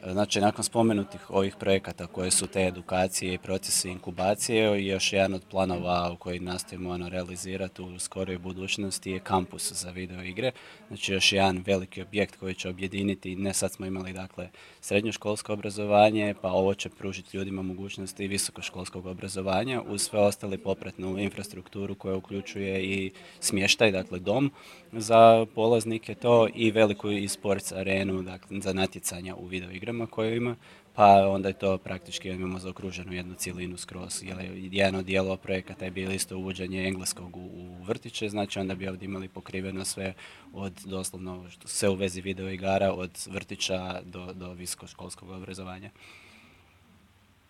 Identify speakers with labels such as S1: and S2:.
S1: Znači, nakon spomenutih ovih projekata koje su te edukacije i procesi inkubacije, još jedan od planova u koji nastojimo realizirati u skoroj budućnosti je kampus za video igre. Znači, još jedan veliki objekt koji će objediniti, ne sad smo imali dakle srednjoškolsko obrazovanje, pa ovo će pružiti ljudima mogućnosti visokoškolskog obrazovanja uz sve ostale popratnu infrastrukturu koja uključuje i smještaj, dakle dom za polaznike to i veliku e-sports arenu, dakle, za natjecanja u video igrama koju ima, pa onda je to praktički imamo zaokruženu jednu cjelinu skroz. Jedan od dijelova projekata je bilo isto uvođenje engleskog u vrtiće, znači onda bi ovdje imali pokriveno sve od doslovno sve u vezi video igara, od vrtića do visokoškolskog obrazovanja.